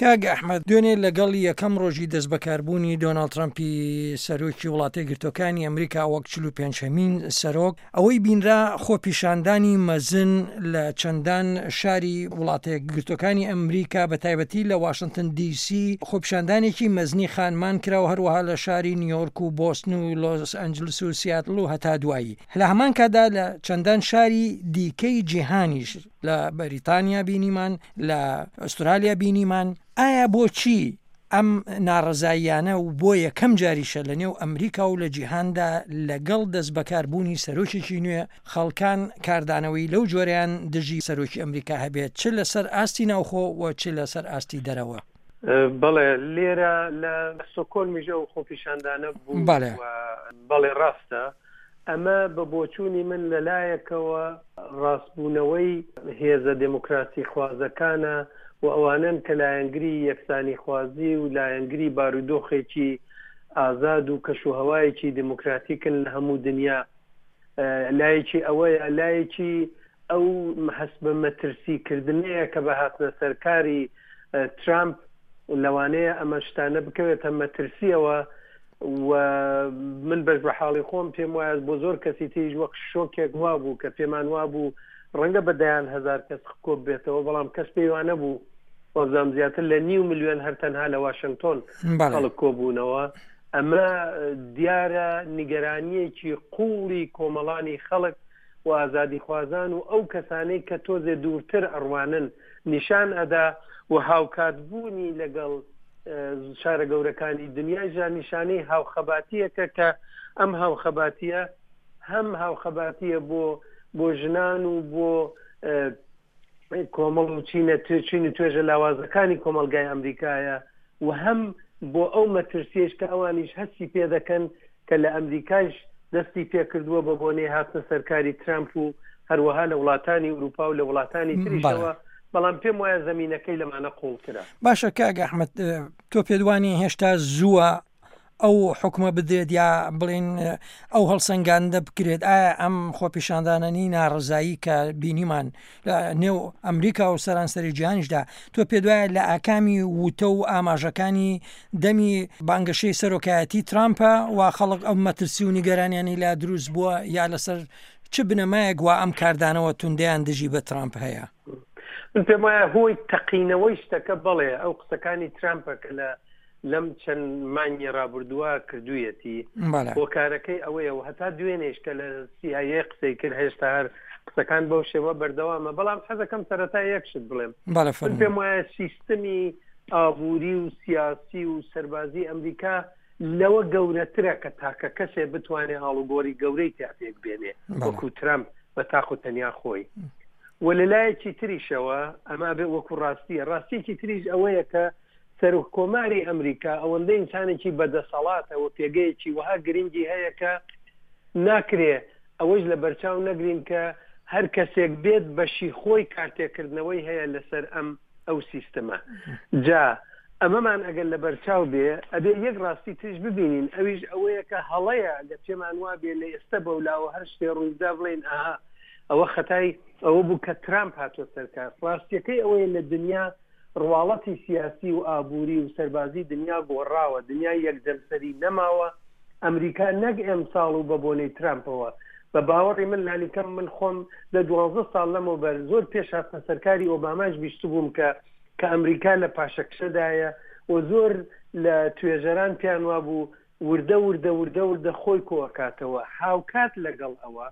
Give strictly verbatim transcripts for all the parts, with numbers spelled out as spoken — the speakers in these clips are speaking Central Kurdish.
کاک ئەحمەد، دوێنێ لەگەڵ یەکەم ڕۆژی دەستبەکاربوونی دۆناڵد ترەمپی سەرۆکی وڵاتە یەکگرتووەکانی ئەمریکا وەک چل و پێنج هەمین سەرۆک، ئەوەی بینرا خۆپیشاندانی مەزن لە چەندان شاری وڵاتە یەکگرتووەکانی ئەمریکا بە تایبەتی لە واشنتن دی سی خۆپیشاندانێکی مەزنی خانمان کرا و هەروەها لە شاری نیویۆرک و بۆستن و لۆس ئەنجلس و سیاتل و هەتا دوایی. لە هەمان کاتدا لە چەندان شاری دیکەی جیهانیش لە بەریتانیا بینیمان، لە ئوسترالیا بینیمان. ئایا بۆچی ئەم ناڕەزاییانە و بۆ یەکەم جاریشە لە نێو ئەمریکا و لە جیهاندا لەگەڵ دەستبەکاربوونی سەرۆکێکی نوێ خەڵکان کاردانەوەی لەو جۆرەیان دژی سەرۆکی ئەمریکا هەبێت، چ لەسەر ئاستی ناوخۆ و چ لەسەر ئاستی دەرەوە؟ بەڵێ، لێرە لە ستۆکۆلمیش ئەو خۆپیشاندانە بوو. بەڵێ. بەڵێ ڕاستە. ئەمە بە بۆچوونی من لەلایەکەوە ڕاستبوونەوەی هێزە دێموکراسی خوازەکانە و ئەوانەن کە لایەنگری یەکسانی خوازی و لایەنگری بارودۆخێکی ئازاد و کەش و هەوایەکی دێموکراتیکن لە هەموو دنیا. لایەکی ئەوەیە، لایەکی ئەو هەست بە مەترسی کردنەیە کە بە هاتنە سەرکاری ترامپ لەوانەیە ئەمە شتانە بکەوێتە مەترسیەوە. و من بەش بە حاڵی خۆم پێم وایە بۆ زۆر کەسی تریش وەک شۆکێک وا بوو کە پێمان وا بوو ڕەنگە بە دەیان هەزار کەس کۆب بێتەوە، بەڵام کەس پێی وا نەبوو. وازام زیاتر لە نیو ملیۆن هەر تەنها لە واشنگتۆن خەڵک کۆبوونەوە. ئەمە دیارە نیگەرانیەکی قوڵی کۆمەڵانی خەڵک و ئازادیخوازان و ئەو کەسانەی کە تۆزێ دوورتر ئەڕوانن نیشان ئەدا و هاوکاتبوونی لەگەڵ شارە گەورەکانی دنیایشدا نیشانەی هاوخەباتیەکە کە ئەم هاوخەباتیە هەم هاوخەباتیە بۆ بۆ ژنان و بۆ کۆمەڵ و چینە چین و توێژە لاوازەکانی کۆمەلگای ئەمریکایە و هەم بۆ ئەو مەترسیەش کە ئەوانیش هەستی پێدەکەن کە لە ئەمریکایش دەستی پێکردووە بە بۆنەی هاتنە سەرکاری ترامپ و هەروەها لە وڵاتانی ئەوروپا و لە وڵاتانی تریشەوە. بەڵام پێم وایە زمینەکەی لەمانە قوڵترە. باشە کاک ئەحمەد، تۆ پێدوانی هێشتا زووە ئەو حکومە بدرێت یا بڵێن ئەو هەڵسەنگاندە بکرێت؟ ئایا ئەم خۆپیشاندانەنی ناڕزایی کە بینیمان لە نێو ئەمریکا و سەرانسەری جیهانیشدا، تۆ پێدوایە لە ئاکامی وتە و ئاماژەکانی دەمی بانگەشەی سەرۆکایەتی ترامپە و خەڵک ئەو مەترسی و نیگەرانیانی لا دروست بووە، یا لەسەر چ بنەمایەک وا ئەم کاردانەوە توندیان دژی بە ترامپ هەیە؟ من پێم وایە هۆی تەقینەوەی شتەکە بەڵێ ئەو قسەکانی ترامپە کە لە لەم چەند مانگی ڕابردووە کردوویەتی. هۆکارەکەی ئەوەیە و هەتا دوێنێش کە لە سی ئای ئێ قسەی کرد هێشتا هەر قسەکان بەو شێوە بەردەوامە. بەڵام حەزەکەم سەرەتا یەک شت بڵێم. من پێم وایە سیستمی ئابووری و سیاسی و سەربازی ئەمریکا لەوە گەورەترە کە تاکە کەسێ بتوانێت ئاڵوگۆڕی گەورەی تیا پێک بێنێ وەکو ترامپ بە تاق و تەنیا خۆی. و لەلایەکی تریشەوە ئەمە بێ وەکو ڕاستیە، ڕاستیەکی تریش ئەوەیە کە سەرۆک کۆماری ئەمریکا ئەوەندە ئینسانێکی بەدەسەڵاتە و پێگەیەکی وەها گرنگی هەیە کە ناکرێ ئەوەش لە بەرچاو نەگرین کە هەر کەسێک بێت بەشی خۆی کارتێکردنەوەی هەیە لەسەر ئەم ئەو سیستمە. جا ئەمەمان ئەگەر لە بەرچاو بێ ئەبێ یەک ڕاستی تریش ببینین، ئەویش ئەوەیە کە هەڵەیە ئەگەر پێمان وابێ لە ئێستا بەولاوە هەر شتێ ڕوویدا بڵێین ئاها ئەوە خەتای ئەوە بوو کە ترامپ هاتووە سەرکار. ڕاستیەکەی ئەوەیە لە دنیا ڕواڵەتی سیاسی و ئابووری و سەربازی دنیا گۆڕاوە، دنیا یەکجەمسەری نەماوە. ئەمریکا نەک ئێمساڵ و بە بۆنەی ترامپەوە، بە باوەڕی من لانیکەم من خۆم لە دوازدە ساڵ لەمەوبەر زۆر پێش هاتنە سەرکاری ئۆباماش بیستبووم کە کە ئەمریکا لە پاشەکشەدایە و زۆر لە توێژەران پێیان وابوو وردە وردە وردە وردە خۆی کۆئەکاتەوە. هاوکات لەگەڵ ئەوە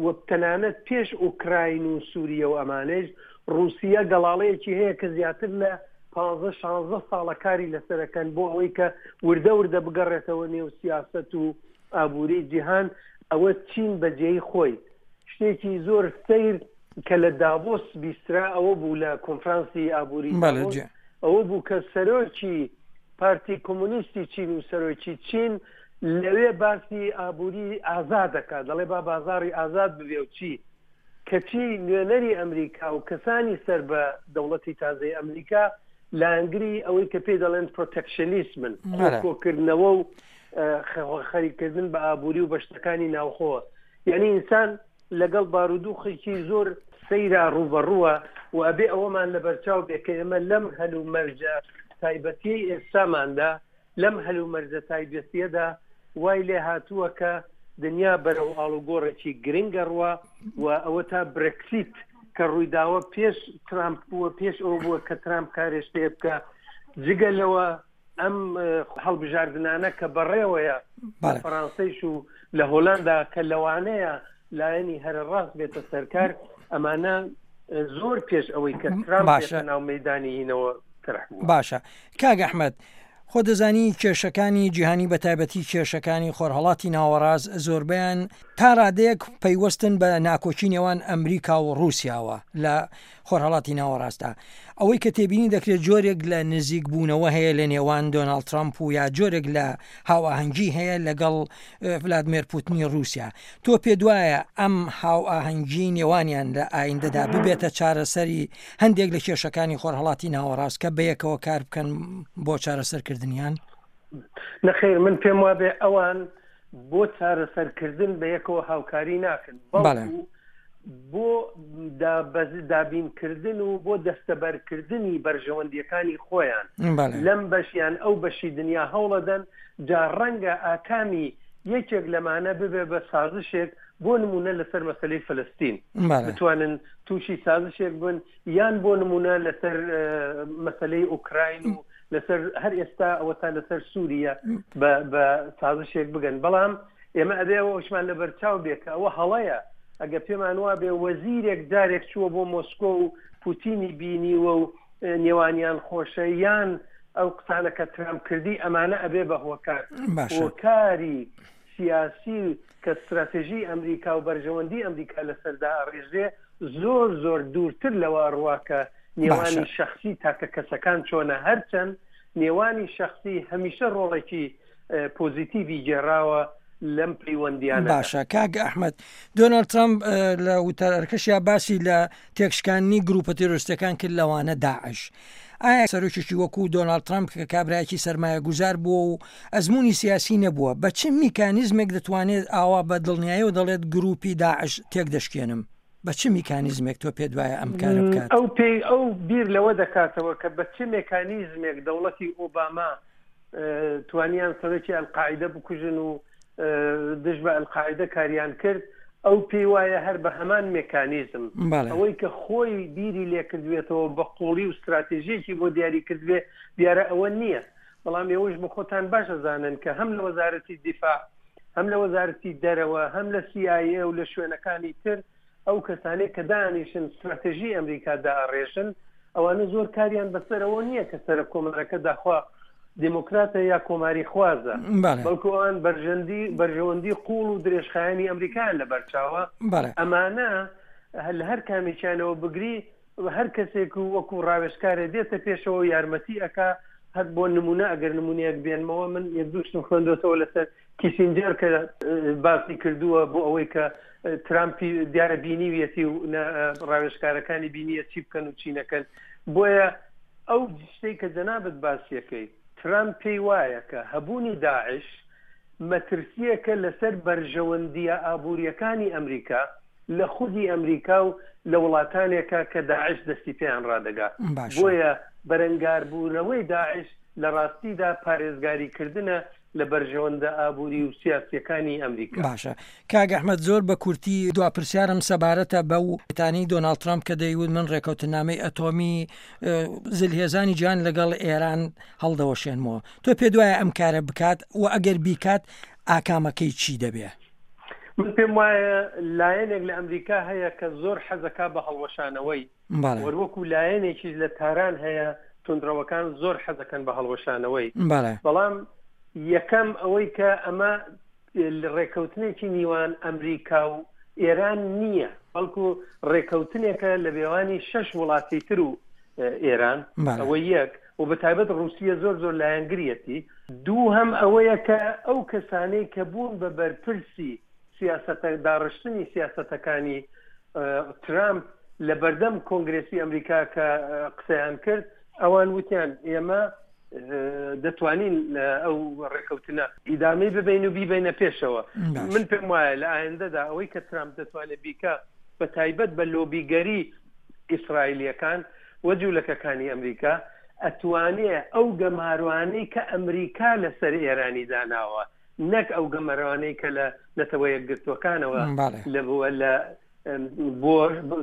و تەنانەت پێش ئۆکراین و سووریە و ئەمانەیش ڕووسیە گەڵاڵەیەکی هەیە کە زیاتر لە پانزە شانزە ساڵە کاری لەسەرەکەن بۆ ئەوەی کە وردە وردە بگەڕێتەوە نێو سیاسەت و ئابووری جیهان. ئەوە چین بەجێی خۆی شتێکی زۆر سەیر کە لە داڤۆس بیسترا ئەوە بوو لە کۆنفرانسی ئابووری داڤۆس ئەوە بوو کە سەرۆکی پارتی کۆمۆنیستی چین و سەرۆکی چین لەوێ باسی ئابووری ئازاد دەکات، دەڵێ با بازاڕی ئازاد ببێ و چی، کەچی نوێنەری ئەمریکا و کەسانی سەر بە دەوڵەتی تازەی ئەمریکا لایەنگری ئەوەی کە پێی دەڵێن پرۆتەکشنیسمن، کۆکردنەوە و خەریکردن بە ئابووری و بەشتەکانی ناوخۆ. یعنی ئینسان لەگەڵ بارودوخێکی زۆر سەیرا ڕووبەڕووە و ئەبێ ئەوەمان لەبەرچاو بێ کە ئێمە لەم هەلومەرجە تایبەتیەی ئێستاماندا، لەم هەلومەرجە تایبەتیەدا وای لێ هاتووە کە دنیا بەرەو ئاڵوگۆڕێکی گرنگە ڕوا و ئەوە تا برێکسیت کە ڕوویداوە پێش ترامپ بووە، پێش ئەوە بووە کە ترامپ کارێش پێ بکە. جگە لەوە ئەم هەڵبژاردنانە کە بەڕێوەیە لە فەڕانسەیش و لە هۆلاندا کە لەوانەیە لایەنی هەرە ڕاست بێتە سەرکار، ئەمانە زۆر پێش ئەوەی کە ترامپ بێتە ناو مەیدانی هینەوە تەرح بووە. باشە کاک ئەحمەد، خۆ دەزانی کێشەکانی جیهانی بە تایبەتی کێشەکانی خۆرهەڵاتی ناوەڕاست زۆربەیان تا ڕادەیەک پەیوەستن بە ناکۆکی نێوان ئەمریکا و ڕووسیاوە لە خۆرهەڵاتی ناوەڕاستدا. ئەوەی کە تێبینی دەکرێت جۆرێک لە نزیک بوونەوە هەیە لە نێوان دۆناڵد ترامپ و یا جۆرێک لە هاوئاهەنگی هەیە لەگەڵ ڤلادمێر پوتنی ڕووسیا. تۆ پێ دوایە ئەم هاوئاهەنگی نێوانیان لە ئایندەدا ببێتە چارەسەری هەندێک لە کێشەکانی خۆرهەڵاتی ناوەڕاست کە بەیەکەوە کار بکەن بۆ چارەسەرکردنیان؟ نەخێر، من پێم وابێ ئەوان بۆ چارەسەرکردن بەیەکەوە هاوکاری ناکەن، بەڵکو بۆ دابینکردن و بۆ دەستەبەرکردنی بەرژەوەندیەکانی خۆیان لەم بەشیان ئەو بەشی دنیا هەوڵەدەن. جا ڕەنگە ئاکامی یەکێک لەمانە ببێ بە سازشێک، بۆ نمونە لەسەر مەسلەی فلستین بتوانن تووشی سازشێک بن، یان بۆ نمونە لەسەر مەسلەی ئۆکراین و لەسەر هەر ئێستا ئەوە تا لەسەر سووریا بە سازشێک بگەن. بەڵام ئێمە ئەبێ ئەوەشمان لەبەرچاو بێ کە ئەوە هەڵەیە. ئەگە پێمان وا بێ وەزیرێک جارێک چووە بۆ مۆسکۆ و پوتینی بینیوە و نێوانیان خۆشە، یان ئەو قسانە کە ترامپ کردی، ئەمانە ئەبێ بە هۆکار. هۆکاری سیاسی کە استراتێژی ئەمریکا و بەرژەوەندی ئەمریکا لەسەردا ئەڕێژرێ زۆر زۆر دوورتر لەوە ڕوا کە نێوانی شخصی تاکە کەسەکان چۆنە. هەرچەند نێوانی شخصی هەمیشە ڕۆڵێکی پۆزیتیڤی گێڕاوە لەم پەیوەندیانە. باشە کاک ئەحمەد، دۆناڵد ترامپ لە وتارەکەشیا باسی لە تێکشکاندنی گروپە تیرۆریستەکان کرد لەوانە داعش. ئایا سەرۆکێکی وەکو دۆناڵد ترامپ کە کابرایەکی سەرمایەگوزار بووە و ئەزمموی سیاسی نەبووە، بە چ میکانیزمێک دەتوانێت ئاوا بە دڵنیایەوە دەڵێت گروپی داعش تێک دەشکێنم؟ بە چ میکانیزمێک تۆ پێ دوایە ئەم کارە بکات؟ ئەو پێی ئەو بیر لەوە دەکاتەوە کە بە چ مێکانیزمێک دەوڵەتی ئۆباما توانیان سەرۆکی ئەلقاعیدە بکوژن و دژ بە ئەلقاعیدە کاریان کرد. ئەو پێی وایە هەر بە هەمان مێکانیزم، ئەوەی کە خۆی بیری لێکردوێتەوە بە قوڵی و استراتێژیەکی بۆ دیاری کردوێ، دیارە ئەوە نییە. بەڵام ئێوەش بە خۆتان باش ئەزانن کە هەم لە وەزارەتی دیفاع، هەم لە وەزارەتی دەرەوە، هەم لە سی ئای ئێ و لە شوێنەکانی تر ئەو کەسانەی کە دانیشن استراتێژی ئەمریکا داڕێژن، ئەوانە زۆر کاریان بەسەرەوە نییە کە سەرۆک کۆمارەکە داخوا دێموکراتە یا کۆماری خوازە، بەڵکو ئەوان بەرژەوەندی قوڵ و درێژخایەنی ئەمریکایان لەبەرچاوە. ئەمانە لە هەر کامێکیانەوە بگری هەر کەسێک و وەکو ڕاوێژکارێ دێتە پێشەوە یارمەتی ئەکا. هەر بۆ نمونە ئەگەر نمونەیەک بێنمەوە، من یەک دوو شتم خوێندۆتەوە لەسەر کیسینجەر کە باسی کردووە بۆ ئەوەی کە ترامپی دیارە بینیویەتی و ڕاوێژکارەکانی بینیە چی بکەن و چی نەکەن. بۆیە ئەو شتەی کە جەنابت باسیەکەی، ترامپ پێی وایە کە هەبوونی داعش مەترسیەکە لەسەر بەرژەوەندیە ئابووریەکانی ئەمریکا لە خودی ئەمریکا و لە وڵاتانێکە کە داعش دەستی پێیان ڕادەگا. بۆیە بەرەنگاربوونەوەی داعش لە ڕاستیدا پارێزگاریکردنە لە بەرژەوەندە ئابووری و سیاسیەکانی ئەمریکا. باشە کاک ئەحمەد، زۆر بە کورتی دوا پرسیارم سەبارەتە بەو تانی دۆناڵد ترامپ کە دەیوت من ڕێکەوتنامەی ئەتۆمی زلهێزانی جیهان لەگەڵ ئێران هەڵدەوەشێنمەوە. تۆ پێ دوایە ئەم کارە بکات و ئەگەر بیکات ئاکامەکەی چی دەبێ؟ من پێم وایە لایەنێک لە ئەمریکا هەیە کە زۆر حەزەکا بە هەڵوەشانەوەی، وەکو لایەنێکیش لە تاران هەیە توندڕەوەکان زۆر حەزەکەن بە هەڵوەشانەوەی. بەڵام یەکەم ئەوەی کە ئەمە ڕێکەوتنێکی نیوان ئەمریکا و ئێران نییە، بەڵکو ڕێکەوتنێکە لە بێوانی شەش وڵاتی تر و ئێران، ئەوە یەک، و بە تایبەت ڕووسیە زۆر زۆر لایەنگریەتی. دوو هەم ئەوەیە کە ئەو کەسانەی کە بوون بە بەرپرسی سیاسەتە داڕشتنی سیاسەتەکانی ترامپ لە بەردەم کۆنگرێسی ئەمریکا کە قسەیان کرد، ئەوان وتیان ئێمە دەتوانین ئەو ڕێکەوتنە ئیدامەی ببین و بیبینە پێشەوە. من پێم وایە لە ئایندەدا ئەوەی کە ترامپ دەتوانێت بیکە بە بە تایبەت بە لۆبیگەری ئیسرائیلیەکان و جوولەکەکانی ئەمریکا ئەتوانێ ئەو گەمارۆانەی کە ئەمریکا لەسەر ئێرانی داناوە نەک ئەو گەمەرانەی کە لە نەتەوە یەکگرتووەکانەوە لە بووە لە بۆ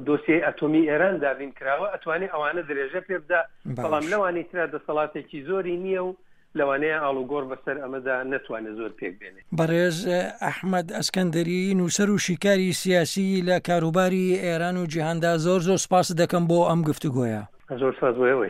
دۆسیەی ئەتۆمی ئێران دابین کراوە ئەتوانێ ئەوانە درێژە پێ بدا بەڵام لەوانی ترا دەسەڵاتێکی زۆری نییە و لەوانەیە ئاڵوگۆڕ بەسەر ئەمەدا نەتوانێت زۆر پێک بێنێ. بەڕێز ئەحمەد ئەسکەندەری نووسەر و شیکاری سیاسی لە کاروباری ئێران و جیهاندا زۆر زۆر سپاست دەکەم بۆ ئەم گفتوگۆیە. زۆر سپاس بۆ ئێوەیش.